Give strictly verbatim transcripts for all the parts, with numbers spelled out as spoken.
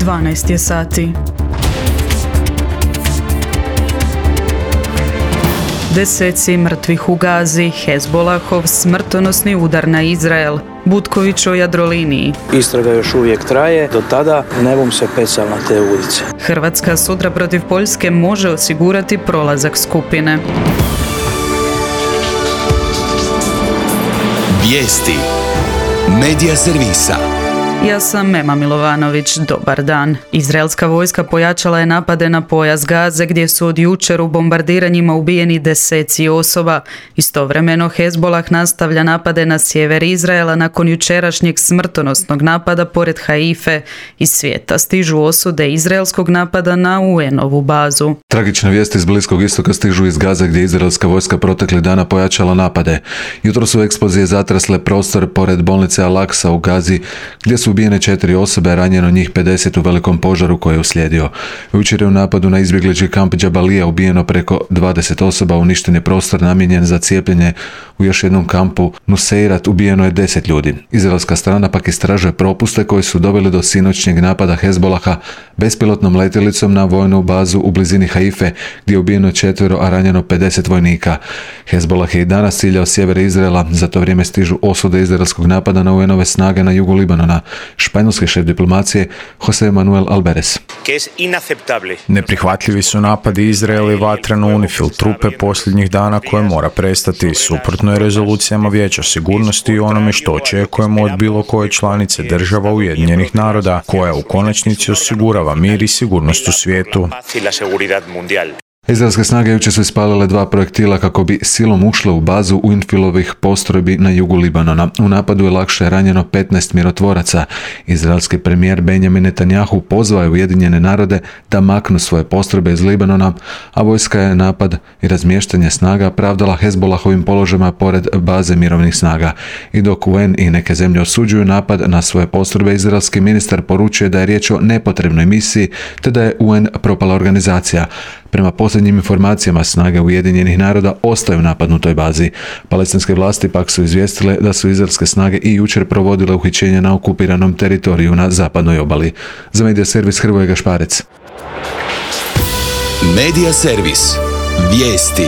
dvanaest je sati. Deseci mrtvih u Gazi, Hezbolahov smrtonosni udar na Izrael, Butković o Jadroliniji. Istraga još uvijek traje, do tada ne bum se pecal na te ulice. Hrvatska sutra protiv Poljske može osigurati prolazak skupine. Vijesti Medija servisa. Ja sam Mema Milovanović, dobar dan. Izraelska vojska pojačala je napade na pojas Gaze gdje su od jučer u bombardiranjima ubijeni deseci osoba. Istovremeno Hezbolah nastavlja napade na sjever Izraela nakon jučerašnjeg smrtonosnog napada pored Haife. Iz svijeta stižu osude izraelskog napada na U N-ovu bazu. Tragične vijesti iz Bliskog istoka stižu iz Gaze gdje izraelska vojska proteklih dana pojačala napade. Jutro su eksplozije zatresle prostor pored bolnice Al-Aqsa u Gazi gdje su ubijene četiri osobe, ranjeno njih pedeset u velikom požaru koji je uslijedio. Jučer je u napadu na izbjeglički kamp Džabalija ubijeno preko dvadeset osoba, uništen je prostor namijenjen za cijepljenje. U još jednom kampu Nuseirat ubijeno je deset ljudi. Izraelska strana pak istražuje propuste koji su doveli do sinoćnjeg napada Hezbolaha bespilotnom letjelicom na vojnu bazu u blizini Haife gdje je ubijeno četvero, a ranjeno pedeset vojnika. Hezbolah je i danas ciljao sjever Izraela, za to vrijeme stižu osude izraelskog napada na U N-ove snage na jugu Libanona. Španjolski šef diplomacije Jose Manuel Alvarez. Neprihvatljivi su napadi Izraela i vatra na UNIFIL trupe posljednjih dana koje mora prestati. Suprotno je rezolucijama Vijeća sigurnosti i onome što očekujemo od bilo koje članice država Ujedinjenih naroda, koja u konačnici osigurava mir i sigurnost u svijetu. Izraelske snage jučer su ispalile dva projektila kako bi silom ušle u bazu UNIFIL-ovih postrojbi na jugu Libanona. U napadu je lakše ranjeno petnaest mirotvoraca. Izraelski premijer Benjamin Netanjahu pozvao je Ujedinjene narode da maknu svoje postrojbe iz Libanona, a vojska je napad i razmještanje snaga pravdala Hezbolahovim položajima pored baze mirovnih snaga. I dok U N i neke zemlje osuđuju napad na svoje postrojbe, izraelski ministar poručuje da je riječ o nepotrebnoj misiji te da je U N propala organizacija. Prema posljednjim informacijama, snage Ujedinjenih naroda ostaju u napadnutoj bazi. Palestinske vlasti pak su izvijestile da su izraelske snage i jučer provodile uhićenje na okupiranom teritoriju na zapadnoj obali. Za Medija servis Hrvoje Gašparec. Medija servis. Vijesti.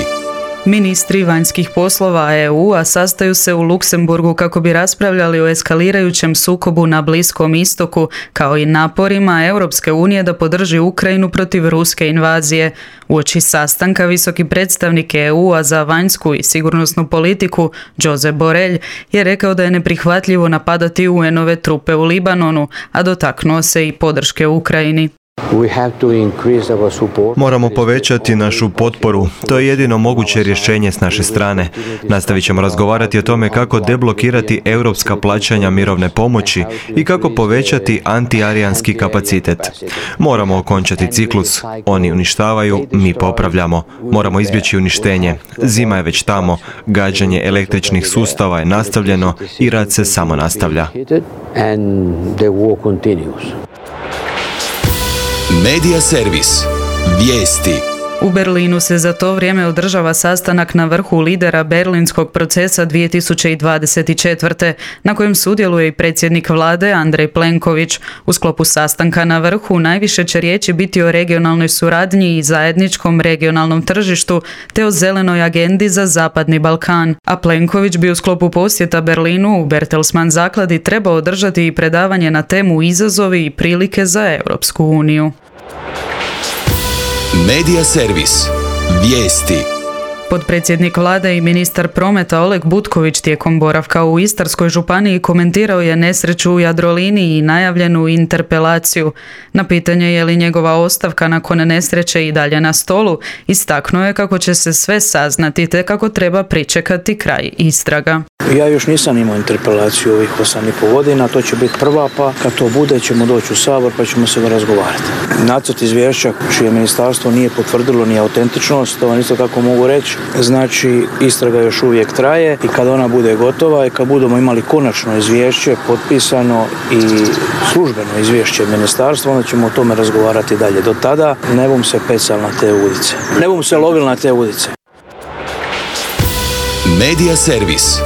Ministri vanjskih poslova E U-a sastaju se u Luksemburgu kako bi raspravljali o eskalirajućem sukobu na Bliskom istoku, kao i naporima Europske unije da podrži Ukrajinu protiv ruske invazije. Uoči sastanka visoki predstavnik E U-a za vanjsku i sigurnosnu politiku, Josep Borrell, je rekao da je neprihvatljivo napadati U N-ove trupe u Libanonu, a dotaknuo se i podrške Ukrajini. Moramo povećati našu potporu. To je jedino moguće rješenje s naše strane. Nastavit ćemo razgovarati o tome kako deblokirati europska plaćanja mirovne pomoći i kako povećati antiarijanski kapacitet. Moramo okončati ciklus. Oni uništavaju, mi popravljamo. Moramo izbjeći uništenje. Zima je već tamo. Gađanje električnih sustava je nastavljeno i rad se samo nastavlja. Medija servis. Vijesti. U Berlinu se za to vrijeme održava sastanak na vrhu lidera berlinskog procesa dvije tisuće dvadeset četvrte. na kojem sudjeluje i predsjednik vlade Andrej Plenković. U sklopu sastanka na vrhu najviše će riječi biti o regionalnoj suradnji i zajedničkom regionalnom tržištu te o zelenoj agendi za Zapadni Balkan. A Plenković bi u sklopu posjeta Berlinu u Bertelsmann zakladi trebao održati i predavanje na temu izazovi i prilike za Europsku uniju. Medija servis. Vijesti. Potpredsjednik vlade i ministar prometa Oleg Butković tijekom boravka u Istarskoj županiji komentirao je nesreću u Jadroliniji i najavljenu interpelaciju. Na pitanje je li njegova ostavka nakon nesreće i dalje na stolu, istaknuo je kako će se sve saznati te kako treba pričekati kraj istraga. Ja još nisam imao interpelaciju ovih osam i pol godina, to će biti prva, pa kad to bude ćemo doći u Sabor pa ćemo se razgovarati. Nacrt izvješća čije ministarstvo nije potvrdilo ni autentičnost, to vam isto tako mogu reći, znači istraga još uvijek traje i kad ona bude gotova i kad budemo imali konačno izvješće potpisano i službeno izvješće ministarstva, onda ćemo o tome razgovarati dalje. Do tada ne bum se pecal na te ulice, ne bum se lovil na te ulice. Medija servis.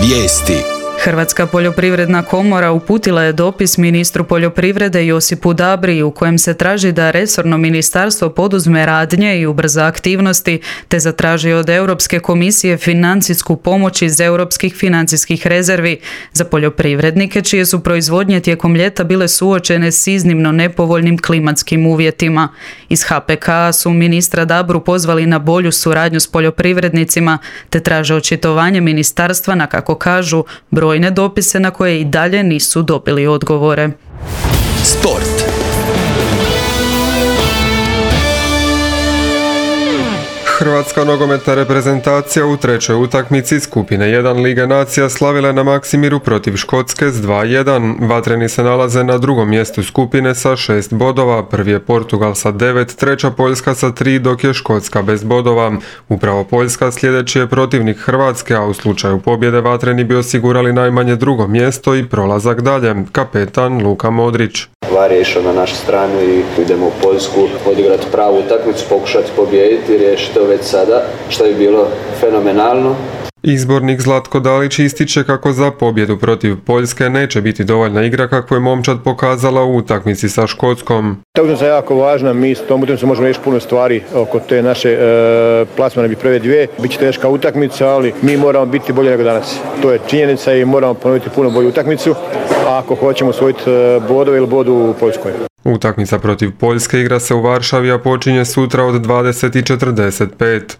Vijesti. Hrvatska poljoprivredna komora uputila je dopis ministru poljoprivrede Josipu Dabri u kojem se traži da resorno ministarstvo poduzme radnje i ubrza aktivnosti te zatraži od Europske komisije financijsku pomoć iz europskih financijskih rezervi za poljoprivrednike čije su proizvodnje tijekom ljeta bile suočene s iznimno nepovoljnim klimatskim uvjetima. Iz H P K su ministra Dabru pozvali na bolju suradnju s poljoprivrednicima te traže očitovanje ministarstva na, kako kažu, brojne dopise na koje i dalje nisu dobili odgovore. Sport. Hrvatska nogometna reprezentacija u trećoj utakmici skupine jedan Lige nacija slavila na Maksimiru protiv Škotske s dva jedan. Vatreni se nalaze na drugom mjestu skupine sa šest bodova. Prvi je Portugal sa devet, treća Poljska sa tri, dok je Škotska bez bodova. Upravo Poljska sljedeći je protivnik Hrvatske, a u slučaju pobjede Vatreni bi osigurali najmanje drugo mjesto i prolazak dalje. Kapetan Luka Modrić. VAR je išao na našu stranu i idemo u Poljsku odigrati pravu utakmicu, pokušati pobijediti i riješiti to već sada, što je bilo fenomenalno. Izbornik Zlatko Dalić ističe kako za pobjedu protiv Poljske neće biti dovoljna igra kako je momčad pokazala u utakmici sa Škotskom. Ta utakmica je jako važna, mi s tom utakmicom možemo riješiti puno stvari oko te naše e, plasmane bi prve dvije. Biće teška utakmica, ali mi moramo biti bolji nego danas. To je činjenica i moramo ponoviti puno bolju utakmicu ako hoćemo osvojiti bodove ili bodu u Poljskoj. Utakmica protiv Poljske igra se u Varšavi, a počinje sutra od dvadeset i četrdeset pet.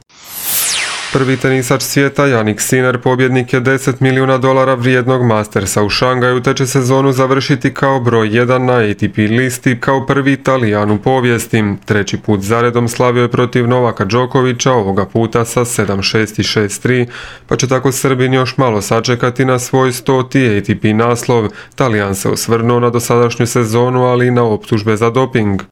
Prvi tenisač svijeta Jannik Sinner pobjednik je deset milijuna dolara vrijednog Mastersa u Šangaju te će sezonu završiti kao broj jedan na A T P listi kao prvi Talijan u povijesti. Treći put zaredom slavio je protiv Novaka Đokovića, ovoga puta sa sedam šest i šest tri, pa će tako Srbin još malo sačekati na svoj stoti A T P naslov. Talijan se osvrnuo na dosadašnju sezonu, ali i na optužbe za doping.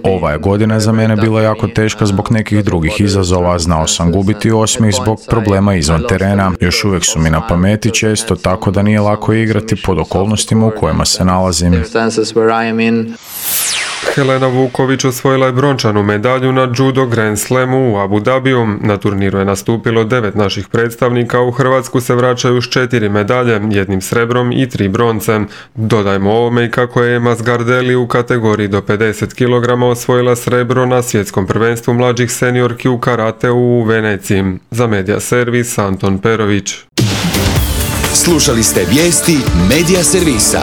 Ova je godina za mene bila jako teška zbog nekih drugih izazova, znao sam gubiti osmih zbog problema izvan terena. Još uvijek su mi na pameti često, tako da nije lako igrati pod okolnostima u kojima se nalazim. Helena Vuković osvojila je brončanu medalju na Judo Grand Slamu u Abu Dhabiju. Na turniru je nastupilo devet naših predstavnika, u Hrvatsku se vraćaju s četiri medalje, jednim srebrom i tri bronce. Dodajmo ovome i kako je Ema Zgardeli u kategoriji do pedeset kilograma osvojila srebro na svjetskom prvenstvu mlađih seniorki u karateu u Veneciji. Za Medija Servis Anton Perović. Slušali ste vijesti Medija Servisa.